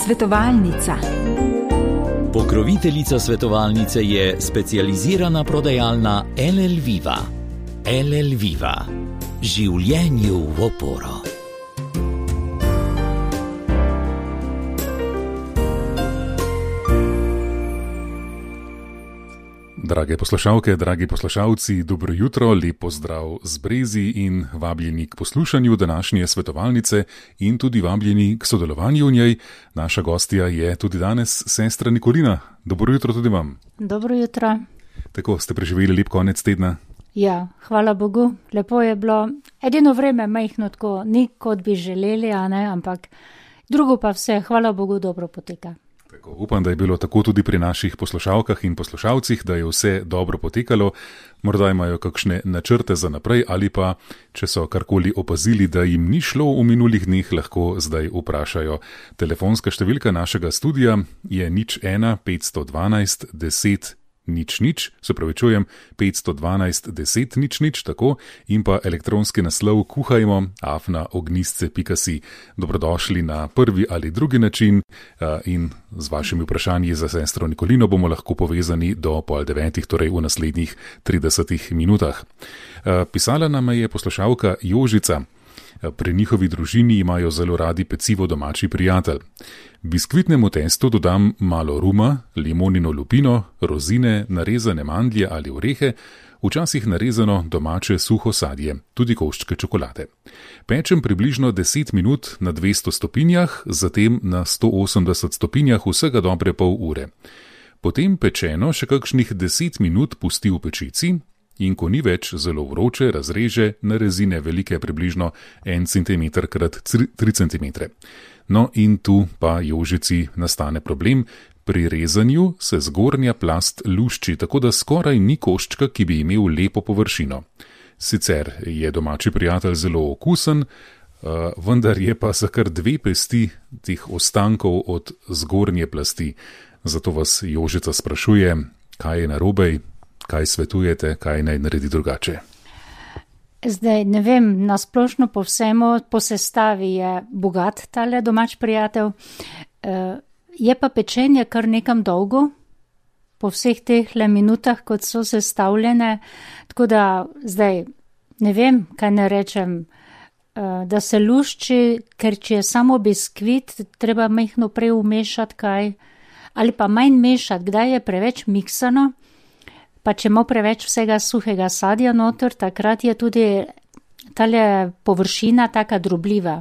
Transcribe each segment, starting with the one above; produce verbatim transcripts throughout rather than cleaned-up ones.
Svetovalnica. Pokroviteljica svetovalnice je specializirana prodajalna L L Viva. L L Viva. Življenju v oporo. Drage poslušalke, dragi poslušalci, dobro jutro, lep pozdrav z Brezi in vabljeni k poslušanju današnje svetovalnice in tudi vabljeni k sodelovanju v njej. Naša gostja je tudi danes sestra Nikolina. Dobro jutro tudi vam. Dobro jutro. Tako, ste preživeli lep konec tedna? Ja, hvala Bogu, lepo je bilo. Edino vreme majhno tako, ni kot bi želeli, a ne, ampak drugo pa vse, hvala Bogu, dobro poteka. Tako, upam, da je bilo tako tudi pri naših poslušalkah in poslušalcih, da je vse dobro potekalo. Morda imajo kakšne načrte za naprej ali pa, če so karkoli opazili, da jim ni šlo v minulih dneh, lahko zdaj vprašajo. Telefonska številka našega studia je nič ena petsto dvanajst deset nič nič, se pravi čujem, petsto dvanajst deset nič nič, tako, in pa elektronski naslov kuhajmo afna ognistce pika si. Dobrodošli na prvi ali drugi način in z vašimi vprašanji za sestro Nikolino bomo lahko povezani do pol devetih, torej v naslednjih tridesetih minutah. Pisala nam je poslušalka Jožica. Pri njihovi družini imajo zelo radi pecivo domači prijatelj. Biskvitnemu testu dodam malo ruma, limonino lupino, rozine, narezane mandlje ali orehe, včasih narezano domače suho sadje, tudi koščke čokolade. Pečem približno deset minut na dvesto stopinjah, zatem na sto osemdeset stopinjah vsega dobre pol ure. Potem pečeno še kakšnih deset minut pusti v pečici, in ko ni več zelo vroče, razreže na rezine velike približno en centimeter krat tri centimetre. No in tu pa Jožici nastane problem. Pri rezanju se zgornja plast lušči, tako da skoraj ni koščka, ki bi imel lepo površino. Sicer je domači prijatelj zelo okusen, vendar je pa za kar dve pesti teh ostankov od zgornje plasti. Zato vas Jožica sprašuje, kaj je narobe, kaj svetujete, kaj naj naredi drugače? Zdaj, ne vem, nasplošno po vsemu, po sestavi je bogat tale domač prijatelj. Je pa pečenje kar nekam dolgo, po vseh teh le minutah, kot so sestavljene, tako da zdaj ne vem, kaj ne rečem, da se lušči, ker če je samo biskvit, treba majhno prej umešati kaj, ali pa manj mešati, kdaj je preveč miksano. Pa če ima preveč vsega suhega sadja noter, takrat je tudi tale površina taka drobljiva.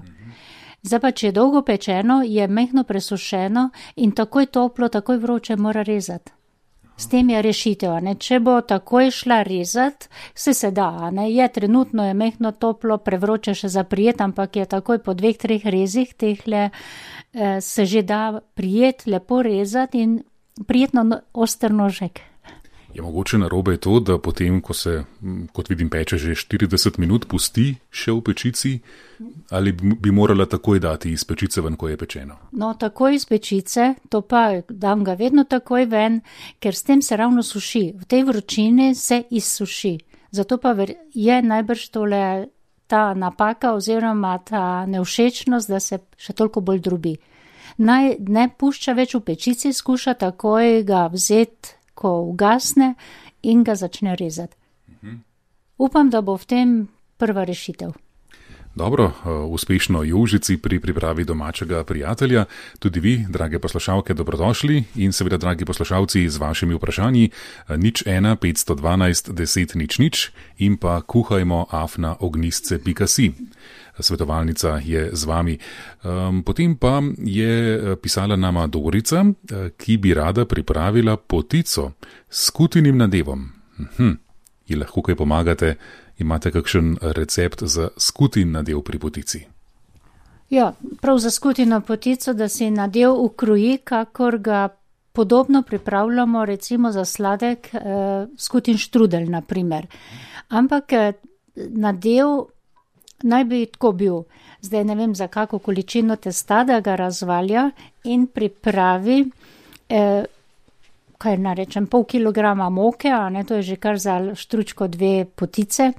Zdaj pa, če je dolgo pečeno, je mehno presušeno in takoj toplo, takoj vroče mora rezati. S tem je rešitev, ne? Če bo takoj šla rezati, se se da, ne? Je trenutno je mehno toplo, prevroče še za prijet, ampak je takoj po dveh, treh rezih tehle eh, se že da prijet, lepo rezati in prijetno oster nožek. Je mogoče narobe to, da potem, ko se, kot vidim, peče že štirideset minut, pusti še v pečici, ali bi morala takoj dati iz pečice ven, ko je pečeno? No, takoj iz pečice, to pa dam ga vedno takoj ven, ker s tem se ravno suši. V tej vročini se izsuši. Zato pa je najbrž tole ta napaka oziroma ta nevšečnost, da se še toliko bolj drobi. Naj ne pušča več v pečici, skuša takoj ga vzeti, ko ugasne in ga začne rezati. Uh-huh. Upam, da bo v tem prva rešitev. Dobro, uspešno Jožici pri pripravi domačega prijatelja. Tudi vi, drage poslušalke, dobrodošli in seveda, dragi poslušalci, z vašimi vprašanji nič ena petsto dvanajst deset nič nič in pa kuhajmo afna ognistce pika si. Svetovalnica je z vami. Potem pa je pisala nama Dorica, ki bi rada pripravila potico s skutinim nadevom. Hm, ji lahko kaj pomagate? Imate kakšen recept za skutin nadev pri potici? Ja, prav za skutino potico, da si nadev ukroji, kakor ga podobno pripravljamo recimo za sladek eh, skutin štrudel, na primer. Ampak eh, nadev naj bi tako bil, zdaj ne vem za kako količino testa, da ga razvalja in pripravi, eh, kaj narečem, pol kilograma moke, a ne, to je že kar za štručko dve potice,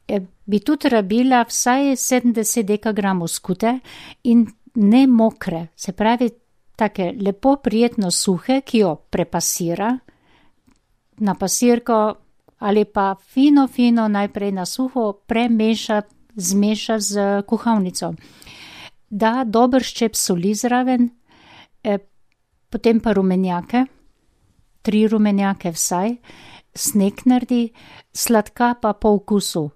eh, bi tudi rabila vsaj sedemdeset dekagramov skute in ne mokre, se pravi take lepo prijetno suhe, ki jo prepasira na pasirko ali pa fino, fino najprej na suho premeša, zmeša z kuhalnico. Da dober ščep soli zraven, eh, potem pa rumenjake, tri rumenjake vsaj, sneg naredi, sladka pa po okusu.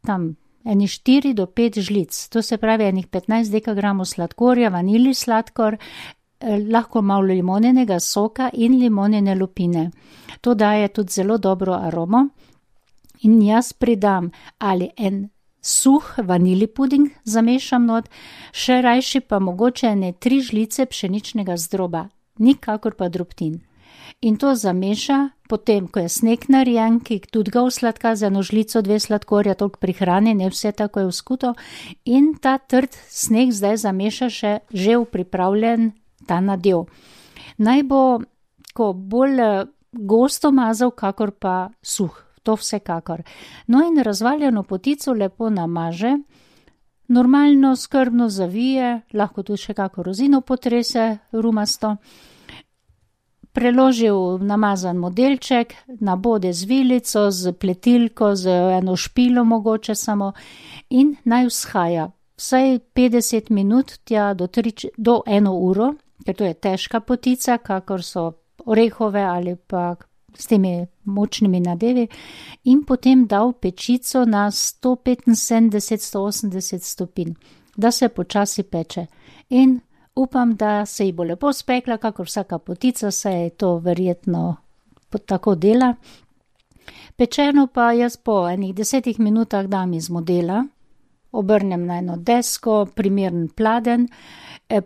Tam eni štiri do pet žlic, to se pravi enih petnajst dekagramov sladkorja, vanilij sladkor, eh, lahko malo limonenega soka in limonene lupine. To daje tudi zelo dobro aromo in jaz pridam ali en suh vanilij puding zamešam not, še rajši pa mogoče ene tri žlice pšeničnega zdroba, nikakor pa drobtin. In to zameša, potem, ko je sneg narejen, ki tudi ga usladka z eno žlico, dve sladkorja, toliko prihrani, ne vse tako je vzkuto, in ta trd sneg zdaj zameša še že v pripravljen ta nadev. Naj bo ko bolj gosto mazal, kakor pa suh, to vsekakor. No in razvaljeno potico lepo namaže, normalno skrbno zavije, lahko tudi še kako rozino potrese rumasto, preloži v namazan modelček, nabode z vilico, z pletilko, z eno špilo mogoče samo in naj vzhaja vsaj petdeset minut tja do, tri, do eno uro, ker to je težka potica, kakor so orehove ali pa s temi močnimi nadevi, in potem dal pečico na sto petinsedemdeset do sto osemdeset stopinj, da se počasi peče. In upam, da se ji bo lepo spekla, kakor vsaka potica, se je to verjetno tako dela. Pečeno pa jaz po enih desetih minutah dam iz modela, obrnem na eno desko, primeren pladen,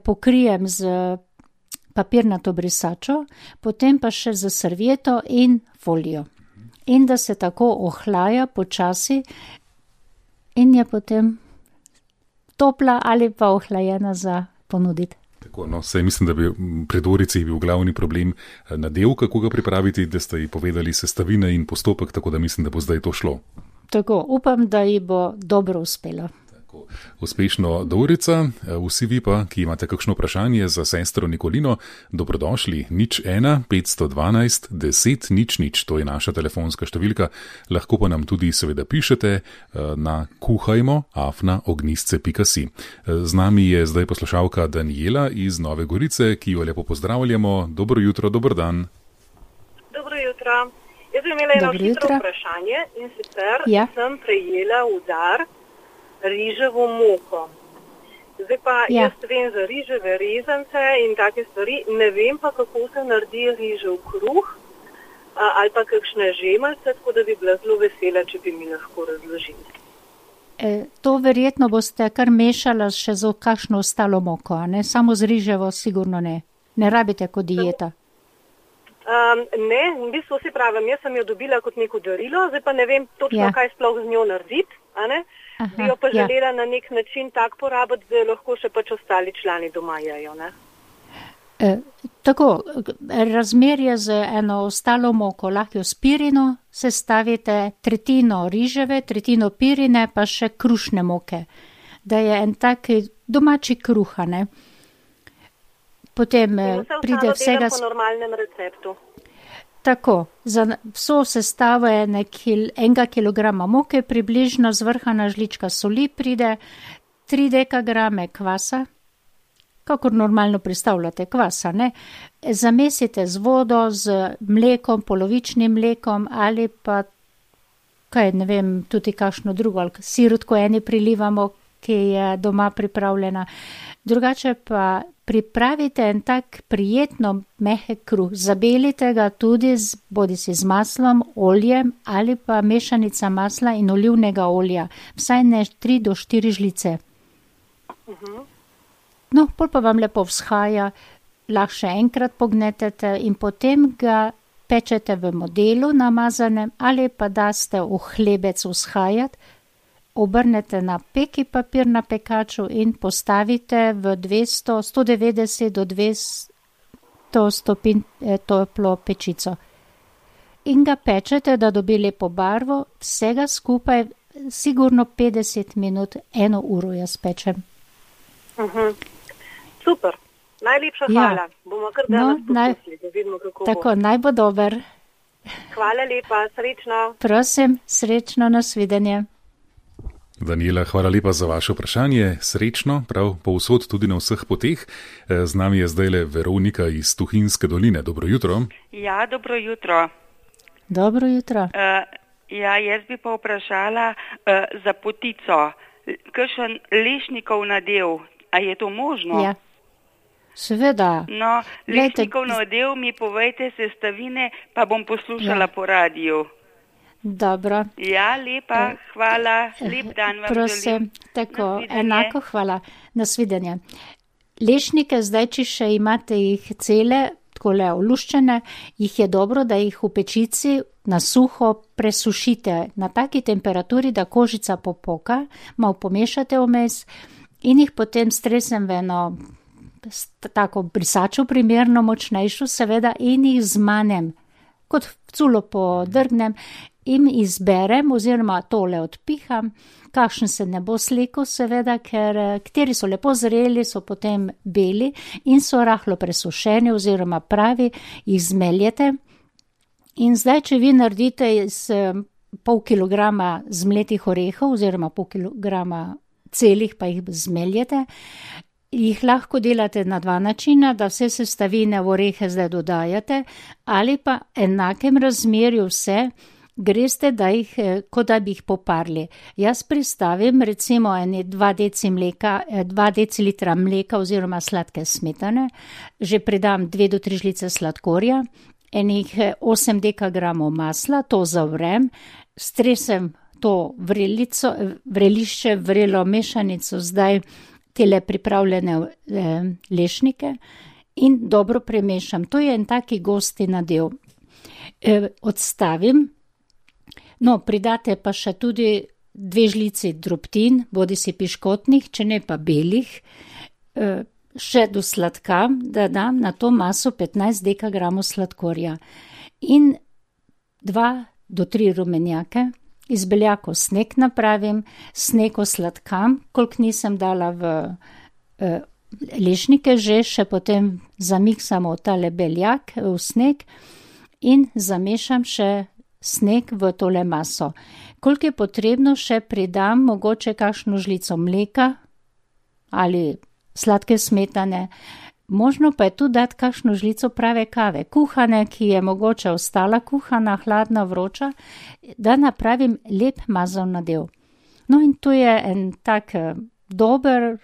pokrijem z papirnato brisačo, potem pa še z servieto in folijo. In da se tako ohlaja počasi in je potem topla ali pa ohlajena za ponuditi. Tako, no, saj mislim, da bi pri Dorici bil glavni problem nadev, kako ga pripraviti, da ste ji povedali sestavine in postopek, tako da mislim, da bo zdaj to šlo. Tako, upam, da ji bo dobro uspelo. Uspešno, Dorica. Vsi vi pa, ki imate kakšno vprašanje za sestro Nikolino, dobrodošli. Nič ena, petsto dvanajst, deset, nič, nič. To je naša telefonska številka. Lahko pa nam tudi seveda pišete na kuhajmo afna ognistce pika si. Z nami je zdaj poslušalka Daniela iz Nove Gorice, ki jo lepo pozdravljamo. Dobro jutro, dober dan. Dobro jutro. Jaz bi imela eno hitro vprašanje in sicer ja. sem prejela udar riževo moko. Zdaj pa ja. jaz vem za riževe rezance in take stvari, ne vem pa, kako se naredi rižev kruh ali pa kakšne žemalce, tako da bi bila zelo vesela, če bi mi lahko razložili. E, to verjetno boste kar mešala še z kakšno ostalo moko, ne? Samo z riževo sigurno ne. Ne rabite kot dieta. Um, ne, v bistvu si pravim, jaz sem jo dobila kot neko darilo, zdaj pa ne vem točno, ja. kaj sploh z njo narediti, a ne? Aha, bi jo pa želela ja. na nek način tak porabiti, da lahko še pač ostali člani doma jejo, ne? E, tako, razmerje z eno ostalo moko, lahko s pirino sestavite tretjino riževe, tretjino pirine, pa še krušne moke, da je en tak domači kruha, ne? Potem vse pride vsega po normalnem receptu. Tako, za vso sestavo je kil, enega kilograma moke, približno zvrhana žlička soli pride, tri dekagrame kvasa, kakor normalno predstavljate kvasa, ne? Zamesite z vodo, z mlekom, polovičnim mlekom ali pa, kaj ne vem, tudi kakšno drugo, ali sirotko eni prilivamo, ki je doma pripravljena. Drugače pa pripravite en tak prijetno mehek kruh, zabelite ga tudi z, bodisi z maslom, oljem ali pa mešanica masla in olivnega olja, vsaj ne tri do štiri žlice. Uh-huh. No, pol pa vam lepo vzhaja, lahko še enkrat pognetete in potem ga pečete v modelu namazanem ali pa daste v hlebec vzhajati, obrnete na peki papir na pekaču in postavite v dvesto, sto devetdeset do dvesto stopinj toplo pečico. In ga pečete, da dobi lepo barvo, vsega skupaj sigurno petdeset minut, eno uro jaz pečem. Uh-huh. Super. Najlepša hvala. Ja. Bomo kar danes no, naj... poskusili, da vidimo, kako bo. Tako, naj bo dober. Hvala lepa, srečno. Prosim, srečno, nasvidenje. Daniela, hvala lepa za vaše vprašanje. Srečno, prav povsod tudi na vseh poteh. Z nami je zdajle Veronika iz Tuhinjske doline. Dobro jutro. Ja, dobro jutro. Dobro jutro. Uh, ja, jaz bi pa vprašala uh, za potico. Kakšen lešnikov nadev, a je to možno? Ja, seveda. No, lešnikov nadev mi povejte sestavine, pa bom poslušala ja. po radiju. Dobro. Ja, lepa, hvala, lep dan vam Prosim, želim. Tako, enako hvala. Nasvidenje. Lešnike zdaj, če še imate jih cele, takole oluščene, jih je dobro, da jih v pečici na suho presušite na taki temperaturi, da kožica popoka, malo pomešate vmes in jih potem stresem v eno tako brisačo primerno močnejšo, seveda, in jih zmanem, kot culo podrgnem, in izberem oziroma tole odpiham, kakšen se ne bo slekel, seveda, ker kateri so lepo zreli, so potem beli in so rahlo presušeni oziroma pravi, jih zmeljete. In zdaj, če vi naredite iz pol kilograma zmletih orehov oziroma pol kilograma celih, pa jih zmeljete, jih lahko delate na dva načina, da vse sestavine v orehe zdaj dodajate, ali pa enakem razmerju vse, greste, da jih, kot da bi jih poparli. Jaz pristavim recimo eni dva deci mleka, dva decilitra mleka oziroma sladke smetane, že pridam dve do tri žlice sladkorja, enih osem dekagramov masla, to zavrem, stresem to vrelico, vrelišče, vrelo mešanico, zdaj tele pripravljene eh, lešnike in dobro premešam. To je en taki gosti nadev. Eh, odstavim. No, pridate pa še tudi dve žlici drobtin, bodi si piškotnih, če ne pa belih, še do sladka, da dam na to maso petnajst dekagramov sladkorja in dva do tri rumenjake, iz beljakov sneg napravim, sneg osladkam, koliko nisem dala v eh, lešnike, že še potem zamiksamo tale beljak v sneg in zamešam še sneg v tole maso. Koliko je potrebno, še pridam mogoče kakšno žlico mleka ali sladke smetane. Možno pa je tu dati kakšno žlico prave kave, kuhane, ki je mogoče ostala kuhana, hladna, vroča, da napravim lep mazal nadev. No in tu je en tak dober,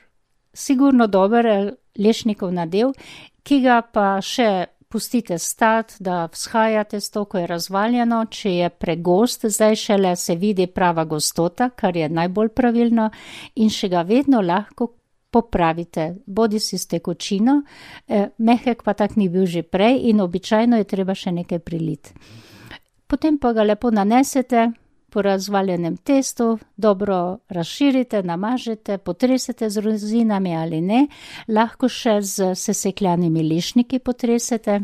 sigurno dober lešnikov nadev, ki ga pa še pustite stati, da vzhajate s to, ko je razvaljeno, če je pregost, zdaj šele se vidi prava gostota, kar je najbolj pravilno, in še ga vedno lahko popravite, bodi si s tekočino, eh, mehek pa tak ni bil že prej in običajno je treba še nekaj priliti. Potem pa ga lepo nanesete po razvaljenem testu, dobro razširite, namažete, potresete z rozinami ali ne, lahko še z sesekljanimi lešniki potresete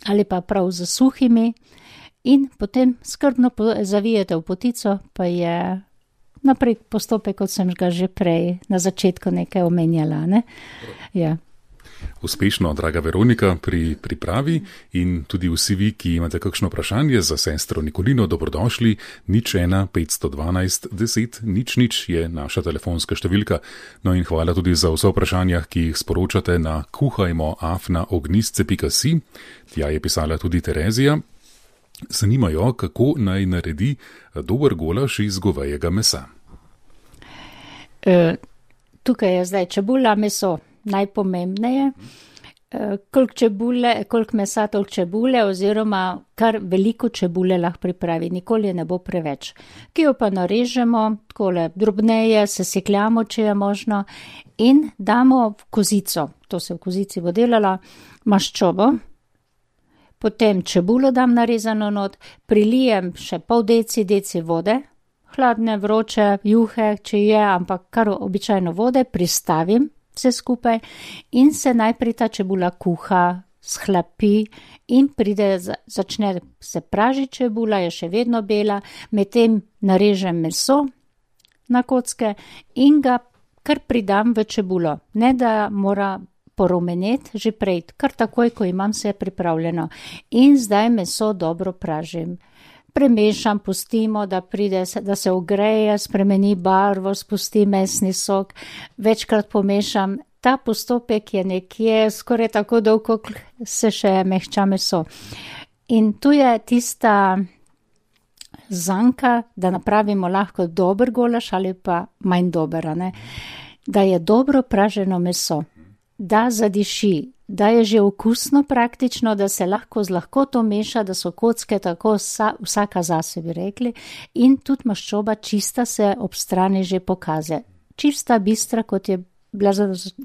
ali pa prav z suhimi in potem skrbno zavijete v potico, pa je naprej postopek, kot sem ga že prej na začetku nekaj omenjala, ne? Ja. Uspešno, draga Veronika, pri pripravi in tudi vsi vi, ki imate kakšno vprašanje za sestro Nikolino, dobrodošli. Nič ena petsto dvanajst deset nič nič je naša telefonska številka. No in hvala tudi za vse vprašanja, ki jih sporočate na kuhajmo afna ognistce pika si. Tja je pisala tudi Terezija. Zanimajo, kako naj naredi dober golaž iz govejega mesa. E, tukaj je zdaj čebula, meso. Najpomembneje, koliko čebule, koliko mesa, toliko čebule oziroma kar veliko čebule lahko pripravi, nikoli ne bo preveč. Ki jo pa narežemo, takole drobneje, sesekljamo, če je možno in damo v kozico, to se v kozici bo delala, maščobo, potem čebulo dam narezano not, prilijem še pol deci, deci vode, hladne, vroče, juhe, če je, ampak kar običajno vode, pristavim vse skupaj in se najprej ta čebula kuha, shlapi in pride, začne se pražiti čebula, je še vedno bela, medtem narežem meso na kocke in ga kar pridam v čebulo. Ne, da mora porumeneti že prej, kar takoj, ko imam vse pripravljeno. In zdaj meso dobro pražim. Premešam, pustimo, da pride, da se ogreje, spremeni barvo, spusti mesni sok, večkrat pomešam. Ta postopek je nekje skoraj tako dolg, kot se še mehča meso. In tu je tista zanka, da napravimo lahko dober golaž ali pa manj dober, ne? Da je dobro praženo meso, da zadiši, da je že okusno praktično, da se lahko z lahkoto meša, da so kocke tako vsa, vsaka zase bi rekli, in tudi maščoba čista se ob strani že pokaže. Čista, bistra, kot je bila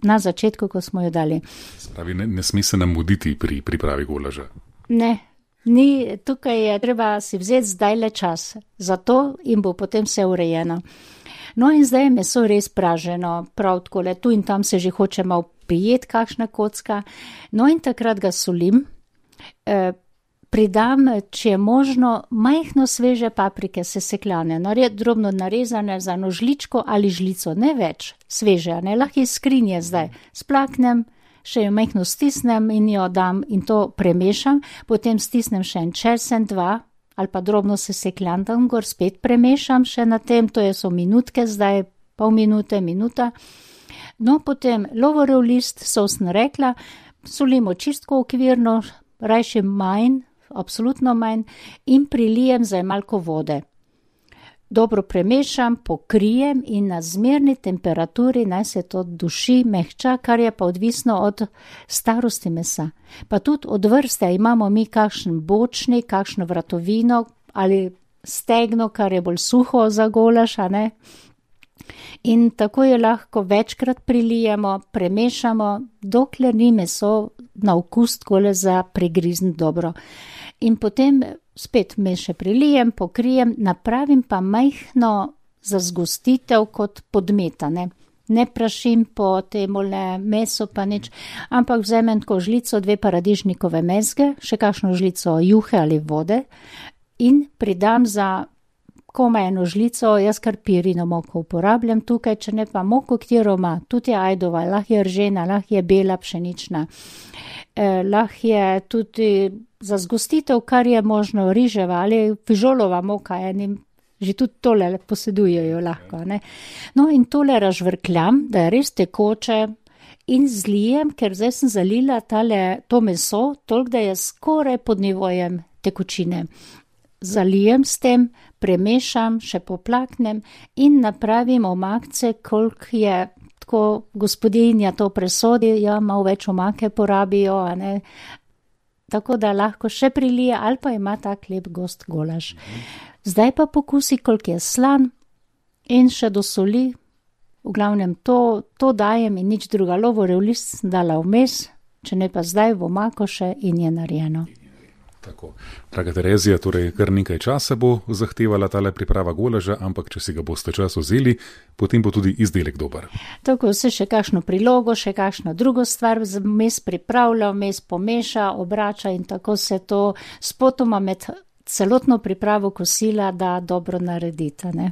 na začetku, ko smo jo dali. Spravi, ne, ne sme se nam muditi pri pripravi golaža. Ne. Ni, tukaj je treba si vzeti zdaj le čas, zato in bo potem vse urejeno. No in zdaj je meso res praženo, prav takole, tu in tam se že hoče malo prijeti kakšna kocka, no in takrat ga solim, e, pridam, če je možno, majhno sveže paprike sesekljane, nared, drobno narezane za eno žličko ali žlico, ne več sveže, ne, lahko iz skrinje zdaj, splaknem, še jo majhno stisnem in jo dam in to premešam, potem stisnem še en česen, dva ali pa drobno sesekljan tam gor, spet premešam še na tem, to je so minutke zdaj, pol minute, minuta. No, potem lovorjev list, so sem rekla, solimo čistko okvirno, rajši manj, absolutno manj, in prilijem zdaj malko vode. Dobro premešam, pokrijem in na zmerni temperaturi naj se to duši, mehča, kar je pa odvisno od starosti mesa. Pa tudi od vrste imamo mi kakšen bočni, kakšno vratovino ali stegno, kar je bolj suho za golaž, a ne? In tako je lahko večkrat prilijemo, premešamo, dokler ni meso na okus takole za prigrizniti dobro. In potem spet me še prilijem, pokrijem, napravim pa majhno zazgostitev kot podmetane. Ne prašim po temole meso pa nič, ampak vzamem tako žlico, dve paradižnikove mezge, še kakšno žlico juhe ali vode in pridam za komaj eno žlico, jaz kar pirino moko uporabljam tukaj, če ne pa moko, katero ima, tudi je ajdova, lahko je ržena, lahko je bela pšenična, eh, lahko je tudi za zgostitev, kar je možno riževa ali fižolova moka, enim že tudi tole posedujejo lahko, ne. No in tole razžvrkljam, da je res tekoče in zlijem, ker zdaj sem zalila tale, to meso, toliko, da je skoraj pod nivojem tekočine. Zalijem s tem, premešam, še poplaknem in napravim omakce, koliko je tako gospodinja to presodi, ja, malo več omake porabijo, a ne, tako da lahko še prilije ali pa ima tak lep gost golaž. Zdaj pa pokusi, koliko je slan in še do soli, v glavnem to, to dajem in nič druga, lovorjev list sem dala vmes, če ne pa zdaj v omako še in je narejeno. Tako. Draga Terezija, torej kar nekaj časa bo zahtevala tale priprava golaža, ampak če si ga boste čas vzeli, potem bo tudi izdelek dober. Tako se še kakšno prilogo, še kakšno drugo stvar vmes pripravlja, vmes pomeša, obrača in tako se to spotoma med celotno pripravo kosila da dobro narediti, ne?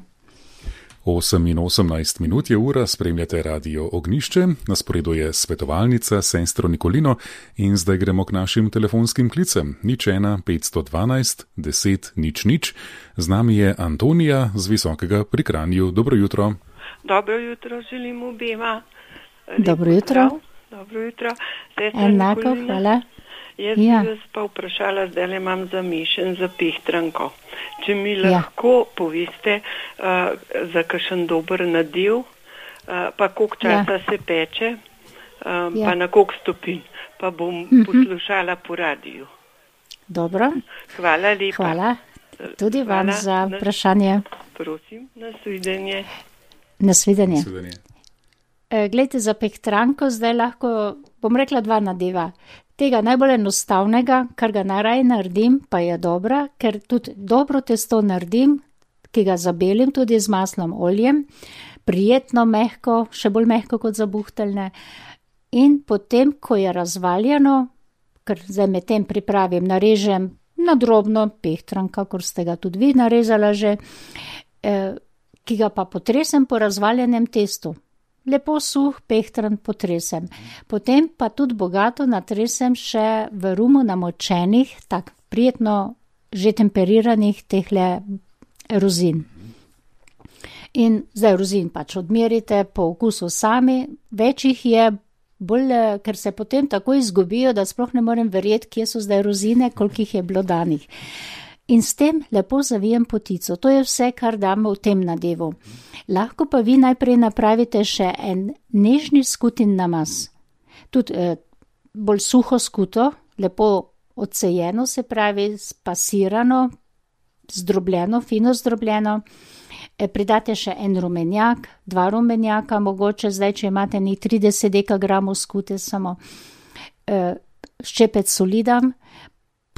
osem in osemnajst minut je ura, spremljate Radio Ognjišče, na sporedu je svetovalnica sestro Nikolino in zdaj gremo k našim telefonskim klicem. Nič ena, petsto dvanajst, deset, nič nič. Z nami je Antonija z Visokega pri Kranju. Dobro jutro. Dobro jutro želim obema. Dobro jutro. Dobro jutro. Enako, hvala. Jaz ja. bi vas pa vprašala, zdaj le imam zamišljen za pehtranko. Če mi lahko ja. poveste uh, za kakšen dober nadev, uh, pa koliko časa ja. se peče, uh, ja. pa na koliko stopinj, pa bom uh-huh. poslušala po radiju. Dobro. Hvala lepa. Hvala. Tudi Hvala. Vam za vprašanje. Prosim, nasvidenje. Nasvidenje. E, glejte, za pehtranko zdaj lahko, bom rekla dva nadeva. Tega najbolj enostavnega, kar ga najraje naredim, pa je dobra, ker tudi dobro testo naredim, ki ga zabelim tudi z maslom, oljem, prijetno, mehko, še bolj mehko kot za buhteljne. In potem, ko je razvaljeno, ker zdaj med tem pripravim, narežem na drobno pehtran, kakor ste ga tudi vi narezala že, eh, ki ga pa potresem po razvaljenem testu. lepo suh pehtran potresem. Potem pa tudi bogato natresem še v rumu namočenih, tak prijetno že temperiranih tehle rozin. In zdaj rozin pač odmerite po okusu sami, več jih je, bolj, ker se potem tako izgubijo, da sploh ne morem verjeti, kje so zdaj rozine, koliko jih je bilo danih. In s tem lepo zavijem potico. To je vse, kar damo v tem nadevu. Lahko pa vi najprej napravite še en nežni skutin namaz. Tudi eh, bolj suho skuto, lepo odsejeno, se pravi spasirano, zdrobljeno, fino zdrobljeno. Pridate še en rumenjak, dva rumenjaka, mogoče zdaj, če imate ni trideset dekagramov skute samo, ščepec soli dam,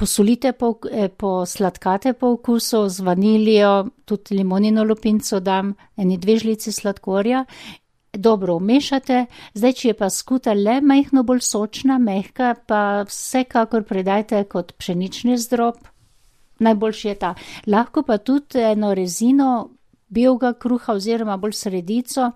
posolite, po, posladkate po okusu, z vanilijo, tudi limonino lupinco dam, eni dve žlici sladkorja, dobro umešate. Zdaj, če je pa skuta le majhno bolj sočna, mehka, pa vsekakor pridajte kot pšenični zdrob, najboljši je ta. Lahko pa tudi eno rezino belega kruha oziroma bolj sredico,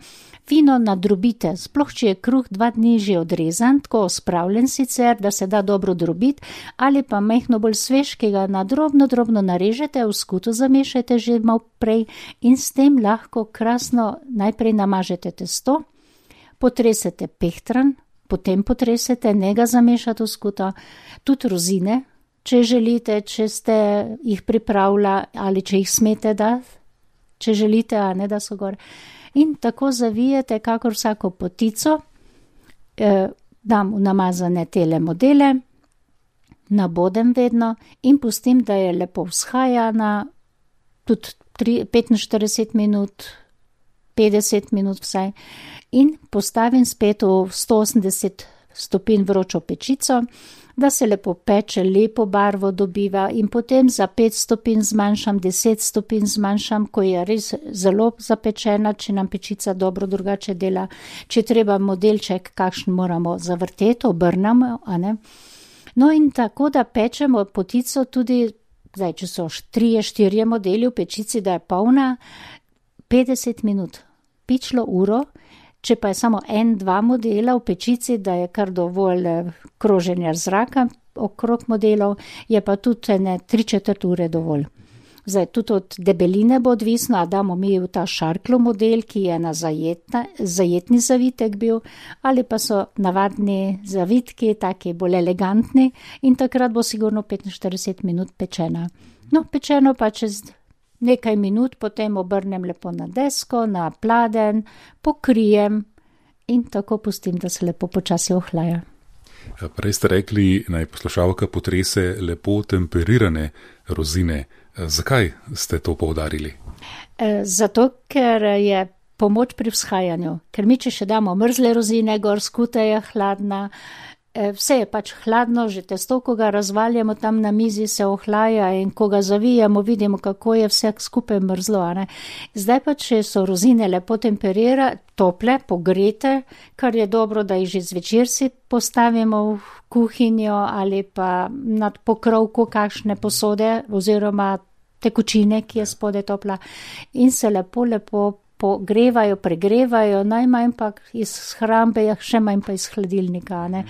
fino nadrobite, sploh če je kruh dva dni že odrezan, tako spravljen sicer, da se da dobro drobiti, ali pa majhno bolj svež, ki ga na drobno, drobno narežete, v skuto zamešajte že malo prej in s tem lahko krasno najprej namažete testo, potresete pehtran, potem potresete, ne ga zamešate v skuto, tudi rozine, če želite, če ste jih pripravila ali če jih smete dati, če želite, a ne da so gor. In tako zavijete, kakor vsako potico, eh, dam v namazane tele modele, nabodem vedno in pustim, da je lepo vzhajana, tudi petinštirideset minut, petdeset minut vsaj, in postavim spet v sto osemdeset stopinj vročo pečico, da se lepo peče, lepo barvo dobiva in potem za pet stopinj zmanjšam, deset stopinj zmanjšam, ko je res zelo zapečena, če nam pečica dobro drugače dela. Če treba modelček, kakšen moramo zavrteti, obrnemo, a ne. No in tako, da pečemo potico tudi, zdaj, če so trije, štirje modeli v pečici, da je polna, petdeset minut, pičlo uro. Če pa je samo en, dva modela v pečici, da je kar dovolj kroženja zraka okrog modelov, je pa tudi ne tri četrt ure dovolj. Zdaj, tudi od debeline bo odvisno, a damo mi v ta šarklo model, ki je na zajetna, zajetni zavitek bil, ali pa so navadni zavitki, taki bolj elegantni in takrat bo sigurno petinštirideset minut pečena. No, pečeno pa čez nekaj minut, potem obrnem lepo na desko, na pladenj, pokrijem in tako pustim, da se lepo počasi ohlaja. Prej ste rekli, naj poslušalka potrese lepo temperirane rozine. Zakaj ste to poudarili? Zato, ker je pomoč pri vzhajanju. Ker mi, če še damo mrzle rozine, gor skuta je hladna, vse je pač hladno, že testo, ko ga razvaljamo tam na mizi, se ohlaja in ko ga zavijamo, vidimo, kako je vse skupaj mrzlo. Ne? Zdaj pa, če so rozine lepo temperira, tople, pogrete, kar je dobro, da jih že zvečer si postavimo v kuhinjo ali pa nad pokrovko kakšne posode oziroma tekočine, ki je spode topla in se lepo, lepo pogrevajo, pregrevajo, najmanj pa iz hrambe, še manj pa iz hladilnika, ne.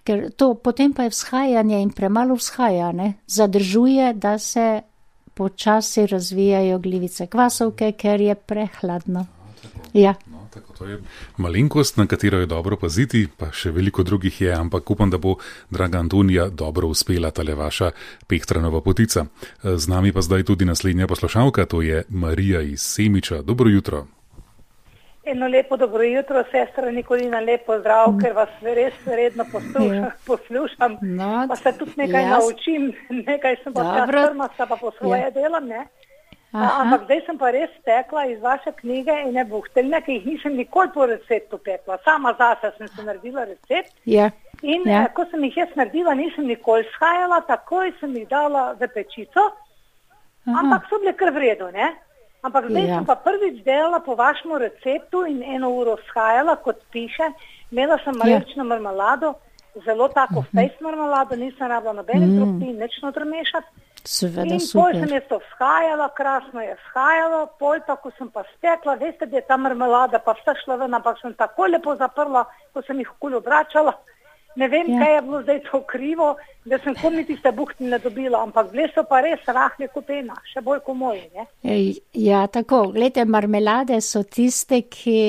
Ker to potem pa je vzhajanje in premalo vzhajanje, zadržuje, da se počasi razvijajo glivice kvasovke, ker je prehladno. Ja. No, tako to je malenkost, na katero je dobro paziti, pa še veliko drugih je, ampak upam, da bo, draga Antonija, dobro uspela tale vaša pehtranova potica. Z nami pa zdaj tudi naslednja poslušalka, to je Marija iz Semiča. Dobro jutro. Eno lepo dobro jutro, sestra Nikolina, lepo zdrav, ker vas res redno poslušam, poslušam no, pa se tudi nekaj jaz. naučim, nekaj sem pa trmasta, pa po svoje ja. delam, ne? Aha. Ampak zdaj sem pa res tekla iz vaše knjige in ne buhteljne, ki jih nisem nikoli po receptu pekla. Sama zase sem se naredila recept ja. in ja. ko sem jih jaz naredila, nisem nikoli shajala, takoj sem jih dala v pečico, Aha. ampak so bile kar v redu, ne? Ampak zdaj ja. sem pa prvič delala po vašemu receptu in eno uro shajala, kot piše, imela sem marelično ja. marmelado, zelo tako uh-huh. fejs marmelado, nisem rabila nobene mm. tropi, nič notr mešati. Seveda, in super. pol sem jaz to vzhajala, krasno je vzhajalo, pol pa, ko sem pa stekla, veste, da je ta marmelada pa vsa šla ven, ampak sem tako lepo zaprla, ko sem jih okoli obračala. Ne vem, ja. Kaj je bilo zdaj to krivo, da sem kom niti tiste buhti ne dobila, ampak bile so pa res rahle kot ena, še bolj kot moje, ne? Ja, tako, gledajte, marmelade so tiste, ki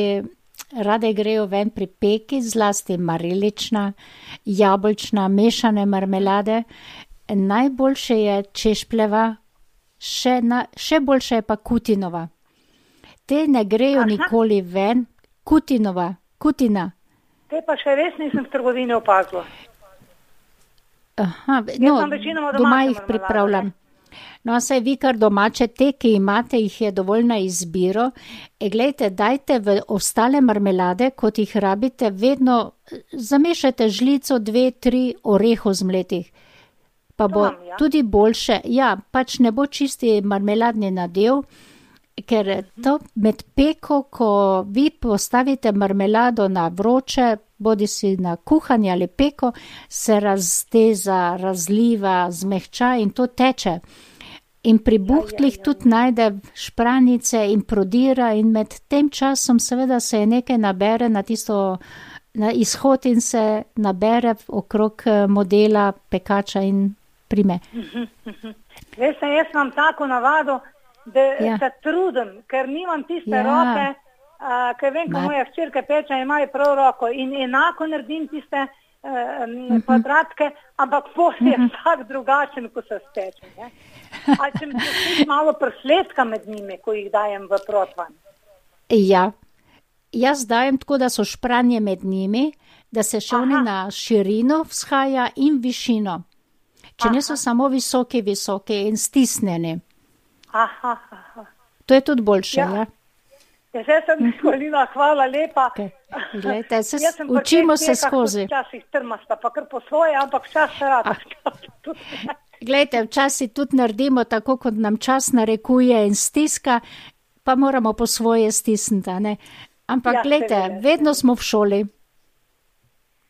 rade grejo ven pri peki, zlasti marilična, jabolčna, mešane marmelade. Najboljše je češpljeva, še, na, še boljše je pa kutinova. Te ne grejo Aha. nikoli ven. Kutinova, kutina. Te pa še res nisem v trgovini opazila. Aha, no, doma jih pripravljam. No, saj vi kar domače, te, ki imate, jih je dovolj na izbiro. E, glejte, dajte v ostale marmelade, kot jih rabite, vedno zamešajte žlico, dve, tri orehov zmletih. Pa bo Tom, ja. tudi boljše, ja, pač ne bo čisti marmeladni nadev, ker to med peko, ko vi postavite marmelado na vroče, bodi si na kuhanje ali peko, se razteza, razliva, zmehča in to teče. In pri buhtlih ja, ja, ja. tudi najde špranice in prodira in med tem časom seveda se je nekaj nabere na tisto na izhod in se nabere okrog modela pekača in prime. Veste, jaz imam tako navado, da ja. se trudim, ker nimam tiste ja. roke, a, ker vem, ko moja hčerka peče, imajo prav roko in enako naredim tiste a, uh-huh. kvadratke, ampak posle je uh-huh. vsak drugačen, ko se steče. Ne? A če mi se malo presledka med njimi, ko jih dajem v protvan? Ja, jaz dajem tako, da so špranje med njimi, da se še oni na širino vzhaja in višino. Če aha. ne so samo visoki, visoki in stisnjeni. Aha, aha. To je tudi boljše, ja? ja? Ja, zdaj sem izkolila, hvala lepa. Okay. Glejte, se učimo se skozi. Včasih trmasta, pa kar po svoje, ampak čas se rada. Glejte, včasih tudi naredimo tako, kot nam čas narekuje in stiska, pa moramo po svoje stisniti, ne? Ampak ja, glejte, vedno smo v šoli.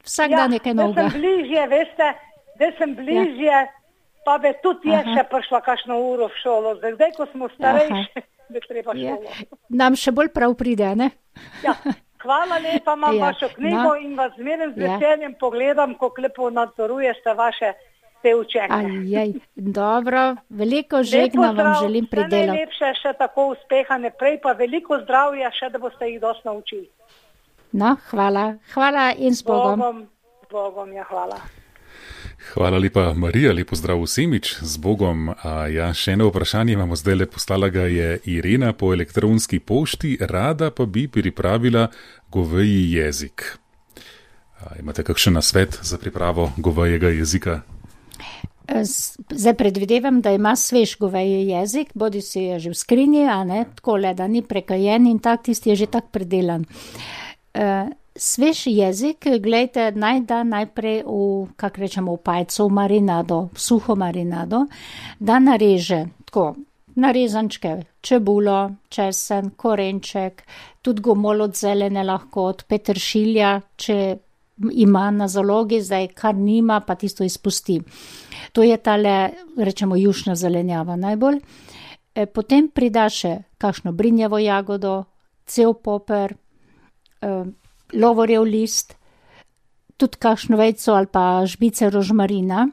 Vsak ja, dan nekaj novega. Ja, da sem bližje, veste, da sem bližje, ja. pa bi tudi je še prišla kakšno uro v šolo. Zdaj, ko smo starejši, bi treba šolo. Ja. Nam še bolj prav pride, ne? Ja, hvala lepa, imam ja. vašo knjigo no. in vas zmeraj z veseljem ja. pogledam, kako lepo nadzorujete vaše te učenje. Ajaj, dobro, veliko žegna vam želim pri delu. Najlepše še tako uspeha naprej, pa veliko zdravja še, da boste jih dosti naučili. No, hvala. Hvala in s Bogom. Bogom, Bogom, ja, hvala. Hvala lepa, Marija, lepo zdrav vsemič, z Bogom. A ja, še eno vprašanje imamo zdaj, le postala ga je Irena po elektronski pošti, rada pa bi pripravila goveji jezik. A, imate kakšen nasvet za pripravo govejega jezika? Zdaj predvidevam, da ima svež goveji jezik, bodi si je že v skrinji, a ne, tako le, da ni prekajen in tak, tisti je že tak predelan. Uh, Svež jezik, gledajte, naj da najprej v, kak rečemo, v pajco, v marinado, v suho marinado, da nareže tako, narezančke, čebulo, česen, korenček, tudi gomol od zelene lahko, od peteršilja, če ima na zalogi, zdaj kar nima, pa tisto izpusti. To je tale, rečemo, jušna zelenjava najbolj. E, potem prida še kakšno brinjevo jagodo, cel poper, e, lovorjev list, tudi kakšno vejco ali pa žbice rožmarina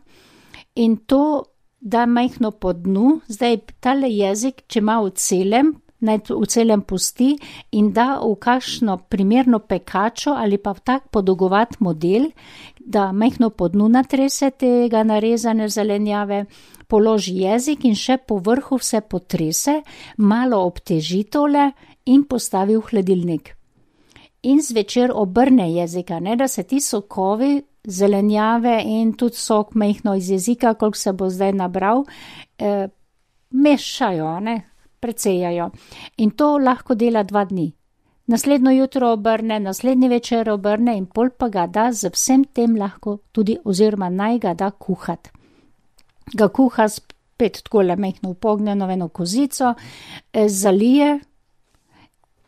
in to da majhno po dnu, zdaj tale jezik, če ima v celem, naj v celem pusti in da v kakšno primerno pekačo ali pa v tak podolgovat model, da majhno po dnu natrese tega narezane zelenjave, položi jezik in še po vrhu vse potrese, malo obteži tole in postavi v hladilnik. In zvečer obrne jezika, ne, da se ti sokovi, zelenjave in tudi sok majhno iz jezika, koliko se bo zdaj nabral, eh, mešajo, ne, precejajo. In to lahko dela dva dni. Naslednjo jutro obrne, naslednji večer obrne in pol pa ga da z vsem tem lahko tudi, oziroma naj ga da kuhat. Ga kuha spet takole majhno upognjeno eno kozico, eh, zalije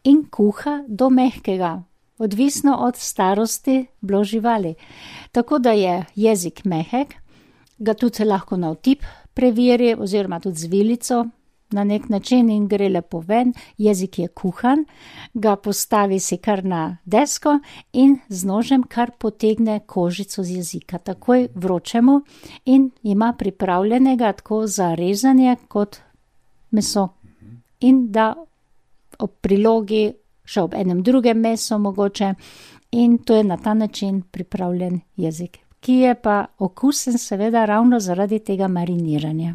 in kuha do mehkega, odvisno od starosti bilo živali. Tako da je jezik mehek, ga tudi lahko na otip preveri, oziroma tudi z vilico na nek način in gre lepo ven, jezik je kuhan, ga postavi si kar na desko in z nožem kar potegne kožico z jezika. Takoj vročemo in ima pripravljenega tako za rezanje kot meso. In da ob prilogi še ob enem drugem meso mogoče in to je na ta način pripravljen jezik, ki je pa okusen seveda ravno zaradi tega mariniranja.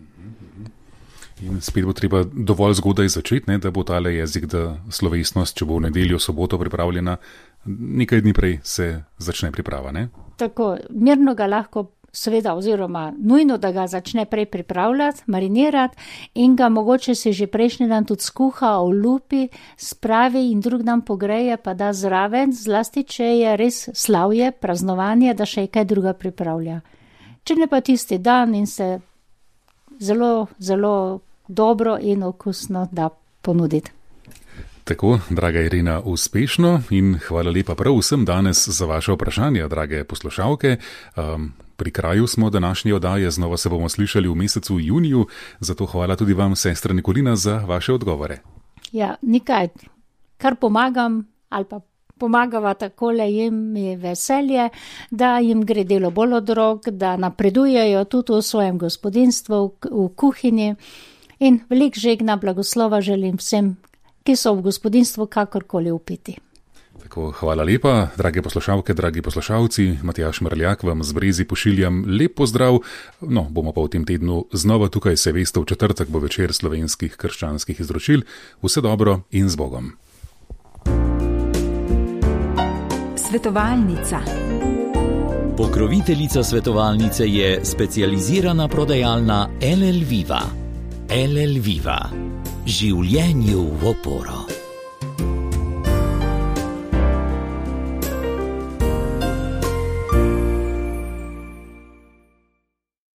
In spet bo treba dovolj zgodaj začeti, ne, da bo tale jezik, da slovesnost, če bo v nedeljo, soboto pripravljena, nekaj dni prej se začne priprava, ne? Tako, mirno ga lahko seveda oziroma nujno, da ga začne prej pripravljati, marinirati in ga mogoče se že prejšnji dan tudi skuha, olupi, spravi in drug dan pogreje, pa da zraven, zlasti, če je res slavje, praznovanje, da še kaj druga pripravlja. Če ne pa tisti dan in se zelo, zelo dobro in okusno da ponuditi. Tako, draga Irena, uspešno in hvala lepa prav vsem danes za vaše vprašanja, drage poslušalke. Um, pri kraju smo današnje oddaje, znova se bomo slišali v mesecu juniju, zato hvala tudi vam, sestra Nikolina, za vaše odgovore. Ja, nikaj, kar pomagam ali pa pomagava takole, jim je veselje, da jim gre delo bolj od rok, da napredujejo tudi v svojem gospodinstvu, v, v kuhinji in velik žegna blagoslova želim vsem, ki so v gospodinstvu kakorkoli upiti. Tako, hvala lepa, drage poslušalke, dragi poslušalci, Matjaž Mrljak vam z Brezi pošiljam lep pozdrav, no, bomo pa v tem tednu znova tukaj, se veste, v četrtek bo večer slovenskih krščanskih izročil. Vse dobro in z Bogom. Svetovalnica. Pokroviteljica svetovalnice je specializirana prodajalna L L Viva. L L Viva. Življenju v oporo.